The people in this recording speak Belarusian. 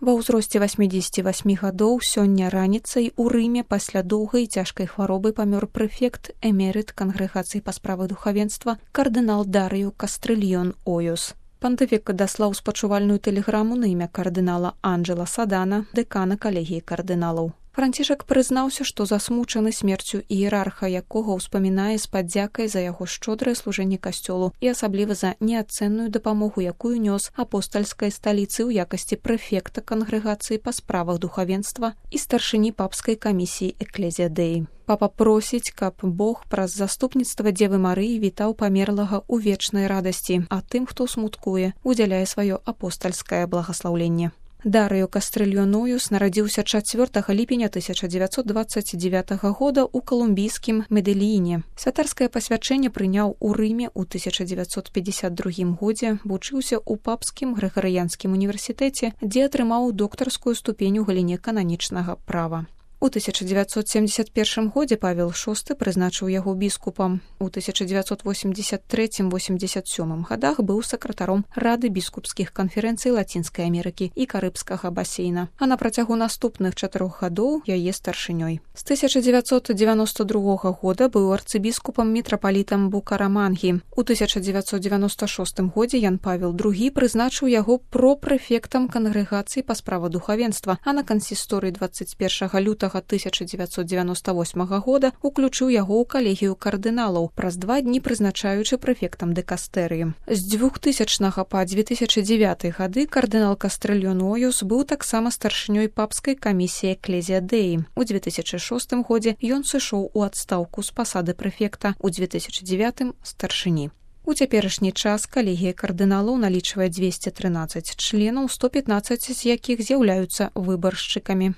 Ва ўзросце 88 гадоў сёння раніцай у Рыме пасля доўгай і цяжкай хваробы памёр прэфект эмерыт кангрэгацыі па справах духавенства кардынал Дарыё Кастрыльён Ойус. Пантыфік даслаў спачувальную тэлеграму на імя кардынала Анджэла Садана, дэкана калегіі кардыналаў. Францішак прызнаўся, што засмучаны смерцю іерарха, якога ўспамінае з падзякай за яго шчодрае служэнне касцёлу і асабліва за неацэнную дапамогу, якую нёс апостальскай сталіцы ў якасці прэфекта кангрэгацыі па справах духавенства і старшыні папскай камісіі Экклезія Дэі. Папа просіць, каб Бог праз заступніцтва Дзевы Марыі вітаў памерлага ў вечнай радасці, а тым, хто смуткуе, удзяляе сваё апостальскае благаслаўленне. Дарыё Кастрыльён Ойус нарадзіўся 4 ліпеня 1929 года ў калумбійскім Медэліне. Святарскае пасвячэнне прыняў у Рыме ў 1952 годзе, вучыўся ў папскім грыгарыянскім універсітэце, дзе атрымаў доктарскую ступень у галіне кананічнага права. У 1971 годзе Павел VI прызначыў яго біскупам. У 1983-87 годах быў сакратаром Рады біскупскіх канферэнцый Лацінскай Амерыкі і Карыбскага басейна, а на працягу наступных 4 гадоў яе старшынёй. З 1992 года быў арцыбіскупам мітрапалітам Букарамангі. У 1996 годзе Ян Павел II прызначыў яго пропрэфектам кангрэгацыі па справах духавенства, а на кансісторыі 21 лютага 1998 года уключыў яго ў калегію кардыналаў, праз 2 дні прызначаючы прэфектам дэкастэрыі. З 2000 па 2009 гады кардынал Кастрыльён Ойус быў таксама старшынёй папскай камісіі Экклезія Дэі. У 2006 годзе ён сышоў у адстаўку з пасады прэфекта, у 2009 старшыні. У цяперашні час калегія кардыналаў налічвае 213 членаў, 115 з якіх з'яўляюцца выбаршчыкамі.